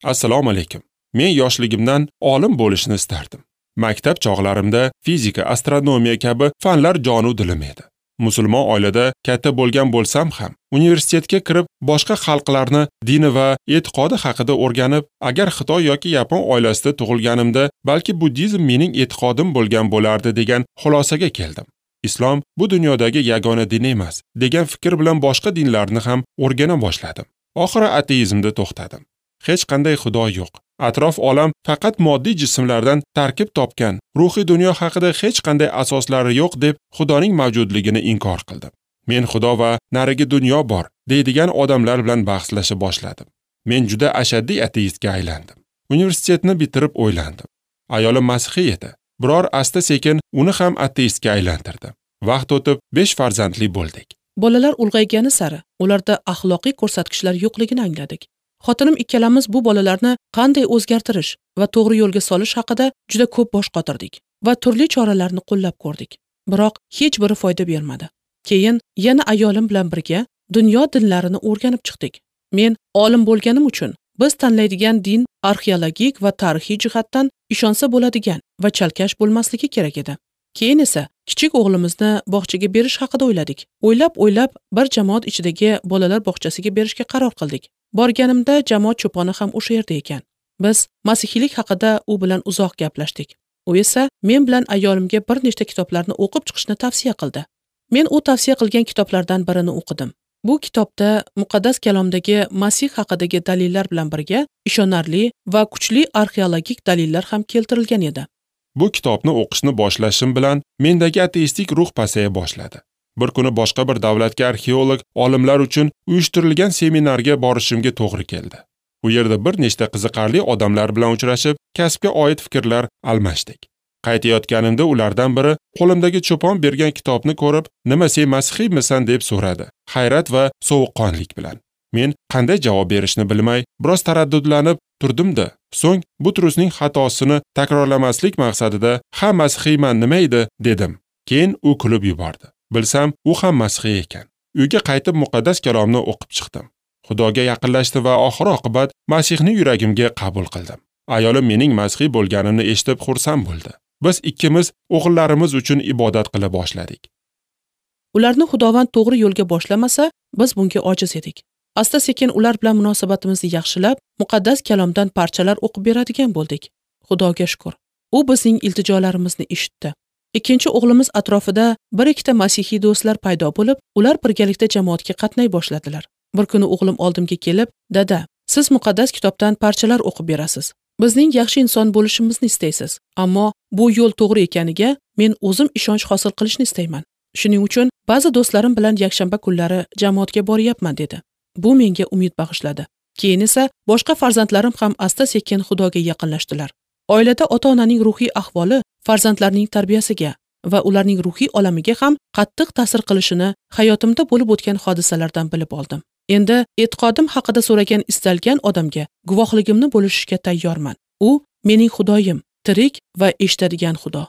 Assalomu alaykum. Men yoshligimdan olim bo'lishni istardim. Maktab chog'larimda fizika, astronomiya kabi fanlar jonu dilim edi. Musulmon oilada katta bo'lgan bo'lsam ham, universitetga kirib boshqa xalqlarni dini va e'tiqodi haqida o'rganib, agar Xitoy yoki Yapon oilasida tug'ilganimda, balki buddizm mening e'tiqodim bo'lgan bo'lardi degan xulosaga keldim. Islom bu dunyodagi yagona din emas degan fikr bilan boshqa dinlarni ham o'rgana boshladim. Oxiri ateizmda to'xtadim. Hech qanday xudo yo'q. Atrof olam faqat moddiy jismlardan tarkib topgan, ruhiy dunyo haqida hech qanday asoslari yo'q deb Xudoning mavjudligini inkor qildim. Men Xudo va narigi dunyo bor deydigan odamlar bilan bahslasha boshladim. Men juda ashaddiy ateistga aylandim. Universitetni bitirib o'ylandim. Ayolim masihiy edi. Biror asta-sekin uni ham ateistga aylantirdim. Vaqt o'tib 5 farzandli bo'ldik. Bolalar ulg'aygani sari ularda axloqiy ko'rsatkichlar yo'qligini angladik. Xotinim ikkalamiz bu bolalarni qanday o'zgartirish va to'g'ri yo'lga solish haqida juda ko'p bosh qotirdik va turli choralarni qo'llab ko'rdik. Biroq hech biri foyda bermadi. Keyin yana ayolim bilan birga dunyo dinlarini o'rganib chiqdik. Men olim bo'lganim uchun biz tanlaydigan din arxeologik va tarixiy jihatdan ishonsa bo'ladigan va chalkash bo'lmasligi kerak edi. Keyin esa kichik o'g'limizni bog'chaga berish haqida o'yladik. O'ylab-o'ylab bir jamoat ichidagi bolalar bog'chasiga berishga qaror qildik. Borganimda jamoat cho'poni ham o'sha yerda ekan. Biz masihiylik haqida u bilan uzoq gaplashdik. U esa men bilan ayolimga bir nechta kitoblarni o'qib chiqishni tavsiya qildi. Men u tavsiya qilgan kitoblardan birini o'qidim. Bu kitobda muqaddas kalomdagi Masih haqidagi dalillar bilan birga ishonarli va kuchli arxeologik dalillar ham keltirilgan edi. Bu kitobni o'qishni boshlashim bilan mendagi ateistik ruh pasaya boshladi. Bir kuni boshqa bir davlatga arxeolog olimlar uchun uyushtirilgan seminarga borishimga to'g'ri keldi. U yerda bir nechta qiziqarli odamlar bilan uchrashib, kasbga oid fikrlar almashdik. Qaytayotganimda ulardan biri qo'limdagi cho'pon bergan kitobni ko'rib, "Nima sen masihiymisan?" deb so'radi, hayrat va sovuqqonlik bilan. Men qanday javob berishni bilmay, biroz taraddudlanib turdim-da, so'ng Butrusning xatosini takrorlamaslik maqsadida, "Ha, masihiyman, nima edi?" dedim. Keyin u kulib yubordi. Bilsam, u ham masihiy ekan. Uyga qaytib muqaddas kalomni o'qib chiqdim. Xudoga yaqinlashdim va oxir-oqibat Masihni yuragimga qabul qildim. Ayolim mening masihiy bo'lganimni eshitib xursand bo'ldi. Biz ikkimiz o'g'illarimiz uchun ibodat qila boshladik. Ularni Xudovand to'g'ri yo'lga boshlamasa, biz bunga ojiz edik. Asta-sekin ular bilan munosabatimizni yaxshilab, muqaddas kalomdan parchalar o'qib beradigan bo'ldik. Xudoga shukr, u bizning iltijolarimizni eshitdi. Ikkinchi o'g'limiz atrofida bir ikkita masihiy do'stlar paydo bo'lib, ular birgalikda jamoatga qatnay boshladilar. Bir kuni o'g'lim oldimga kelib, "Dada, siz muqaddas kitobdan parchalar o'qib berasiz. Bizning yaxshi inson bo'lishimizni istaysiz, ammo bu yo'l to'g'ri ekaniga men o'zim ishonch hosil qilishni istayman. Shuning uchun ba'zi do'stlarim bilan yakshanba kunlari jamoatga boryapman" dedi. Bu menga umid bag'ishladi. Keyin esa boshqa farzandlarim ham asta-sekin Xudoga yaqinlashdilar. Oilada ota-onaning ruhiy ahvoli farzandlarning tarbiyasiga va ularning ruhiy olamiga ham qattiq ta'sir qilishini hayotimda bo'lib o'tgan hodisalardan bilib oldim. Endi e'tiqodim haqida so'ragan istalgan odamga guvohligimni bo'lishishga tayyorman. U mening Xudoyim, tirik va eshitadigan Xudo.